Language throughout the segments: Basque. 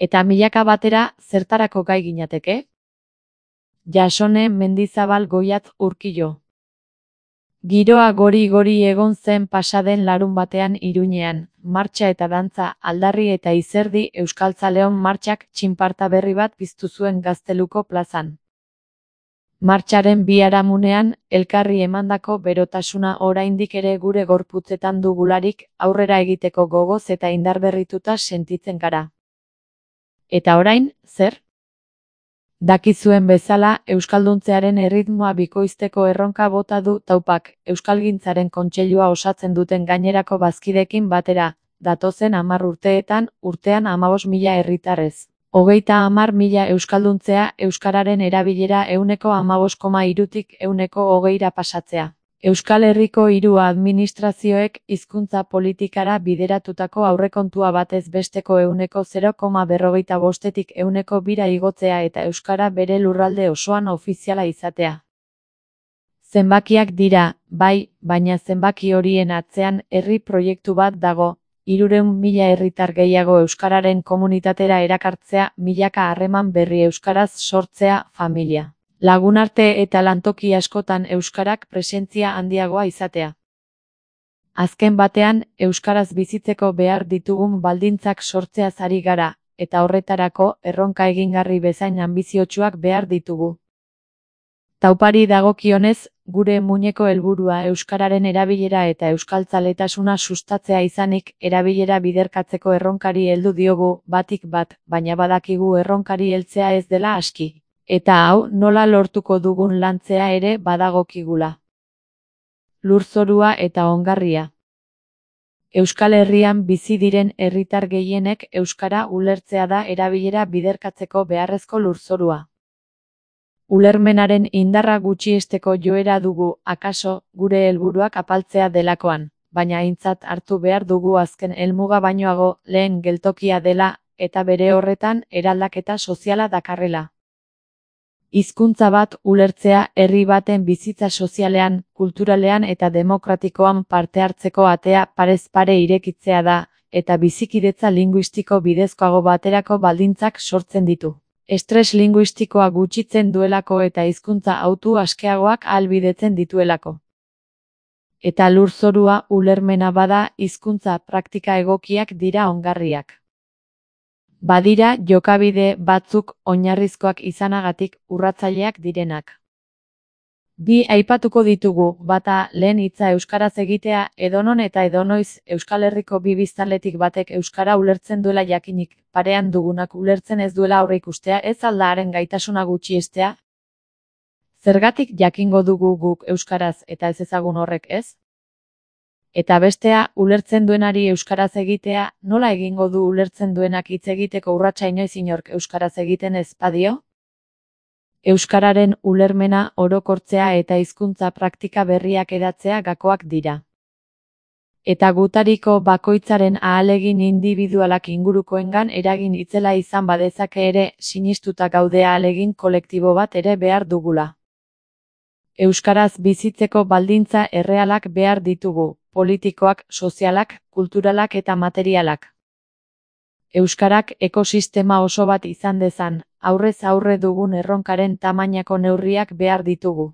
Eta milaka batera zertarako gai ginateke? Jasone Mendizabal Goiat Urkillo. Giroa gori-gori egon zen pasaden larunbatean Iruñean, martxa eta dantza, aldarri eta izerdi Euskaltzaleon martxak txinparta berri bat piztu zuen Gazteluko plazan. Martxaren biharamunean, elkarri emandako berotasuna oraindik ere gure gorputzetan dugularik, aurrera egiteko gogoz eta indarberrituta sentitzen gara. Eta orain, zer? Dakizuen bezala, euskalduntzearen erritmoa bikoizteko erronka bota du Taupak, Euskalgintzaren kontseilua osatzen duten gainerako bazkideekin batera, datozen 10 urteetan, urtean 15.000 herritarrez. 30.000 euskalduntzea, euskararen erabilera 15,3tik 20%ra pasatzea. Euskal Herriko 3 administrazioek hizkuntza politikara bideratutako aurrekontua batez besteko 0,45tik 2%ra igotzea eta euskara bere lurralde osoan ofiziala izatea. Zenbakiak dira, bai, baina zenbaki horien atzean herri proiektu bat dago, 300.000 herritar gehiago euskararen komunitatera erakartzea, milaka harreman berri euskaraz sortzea, familia, lagunarte eta lantoki askotan euskarak presentzia handiagoa izatea. Azken batean, euskaraz bizitzeko behar ditugun baldintzak sortzeaz ari gara, eta horretarako erronka egingarri bezain anbiziotsuak behar ditugu. Taupari dagokionez, gure muineko helburua euskararen erabilera eta euskaltzaletasuna sustatzea izanik, erabilera biderkatzeko erronkari heldu diogu, batik bat, baina badakigu erronkari heltzea ez dela aski. Eta hau, nola lortuko dugun lantzea ere badagokigula. Lurzorua eta ongarria. Euskal Herrian bizi diren herritar gehienek euskara ulertzea da erabilera biderkatzeko beharrezko lurzorua. Ulermenaren indarra gutxiesteko joera dugu, akaso, gure helburuak apaltzea delakoan, baina aintzat hartu behar dugu azken helmuga bainoago, lehen geltokia dela, eta bere horretan eraldaketa soziala dakarrela. Hizkuntza bat ulertzea herri baten bizitza sozialean, kulturalean eta demokratikoan parte hartzeko atea parez pare irekitzea da, eta bizikidetza linguistiko bidezkoago baterako baldintzak sortzen ditu. Estres linguistikoa gutxitzen duelako eta hizkuntza hautu askeagoak ahalbidetzen dituelako. Eta lurzorua ulermena bada, hizkuntza praktika egokiak dira ongarriak. Badira jokabide batzuk oinarrizkoak izanagatik urratzaileak direnak. Bi aipatuko ditugu, bata lehen hitza euskaraz egitea, edonon eta edonoiz Euskal Herriko bi biztanletik batek euskara ulertzen duela jakinik, parean dugunak ulertzen ez duela aurreikustea ez alda haren gaitasuna gutxiestea? Zergatik jakingo dugu guk euskaraz eta ez ezagun horrek ez? Eta bestea, ulertzen duenari euskaraz egitea, nola egingo du ulertzen duenak hitz egiteko urratsa inoiz inork euskaraz egiten ez badio? Euskararen ulermena orokortzea eta hizkuntza praktika berriak hedatzea gakoak dira. Eta gutariko bakoitzaren ahalegin indibidualak ingurukoengan eragin itzela izan badezake ere, sinistuta gaude ahalegin kolektibo bat ere behar dugula. Euskaraz bizitzeko baldintza errealak behar ditugu, politikoak, sozialak, kulturalak eta materialak. Euskarak ekosistema oso bat izan dezan, aurrez aurre dugun erronkaren tamainako neurriak behar ditugu.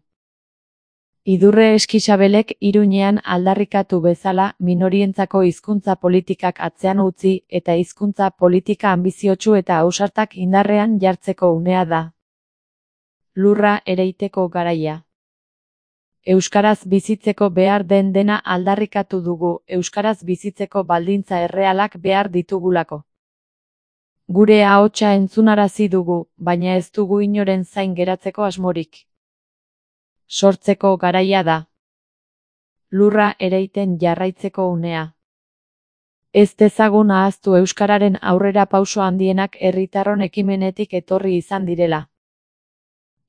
Idurre Eskixabelek Iruñean aldarrikatu bezala minorientzako hizkuntza politikak atzean utzi eta hizkuntza politika anbiziotsu eta ausartak indarrean jartzeko unea da. Lurra ereiteko garaia. Euskaraz bizitzeko behar den dena aldarrikatu dugu, euskaraz bizitzeko baldintza errealak behar ditugulako. Gure ahotsa entzunarazi dugu, baina ez dugu inoren zain geratzeko asmorik. Sortzeko garaia da. Lurra ereiten jarraitzeko unea. Ez dezagun ahaztu euskararen aurrera pauso handienak herritarron ekimenetik etorri izan direla.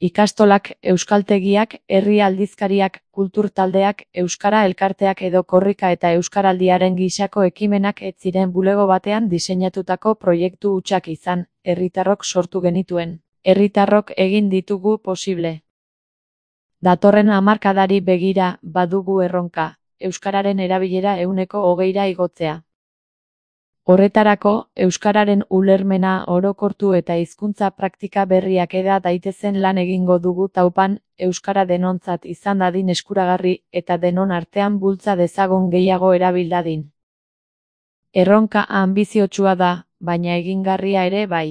Ikastolak, euskaltegiak, herri aldizkariak, kulturtaldeak, euskara elkarteak edo korrika eta euskaraldiaren gisako ekimenak ez ziren bulego batean diseinatutako proiektu hutsak izan, herritarrok sortu genituen. Herritarrok egin ditugu posible. Datorren hamarkadari begira, badugu erronka, euskararen erabilera 20%ra igotzea. Horretarako, euskararen ulermena orokortu eta hizkuntza praktika berriak eda daitezen lan egingo dugu taupan, euskara denontzat izan dadin eskuragarri eta denon artean bultza dezagun gehiago erabil dadin. Erronka anbiziotsua da, baina egingarria ere bai.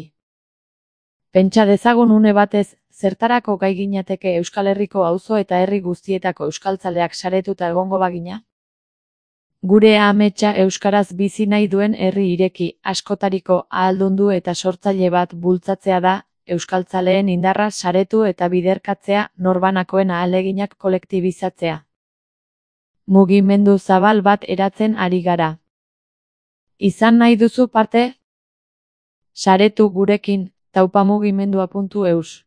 Pentsa dezagun une batez, zertarako gai ginateke Euskal Herriko auzo eta herri guztietako euskaltzaleak saretuta egongo bagina? Gure ametsa euskaraz bizi nahi duen herri ireki, askotariko, ahaldundu eta sortzaile bat bultzatzea da, euskaltzaleen indarra saretu eta biderkatzea, norbanakoen ahaleginak kolektibizatzea. Mugimendu zabal bat eratzen ari gara. Izan nahi duzu parte? Saretu gurekin, taupamugimendua.eus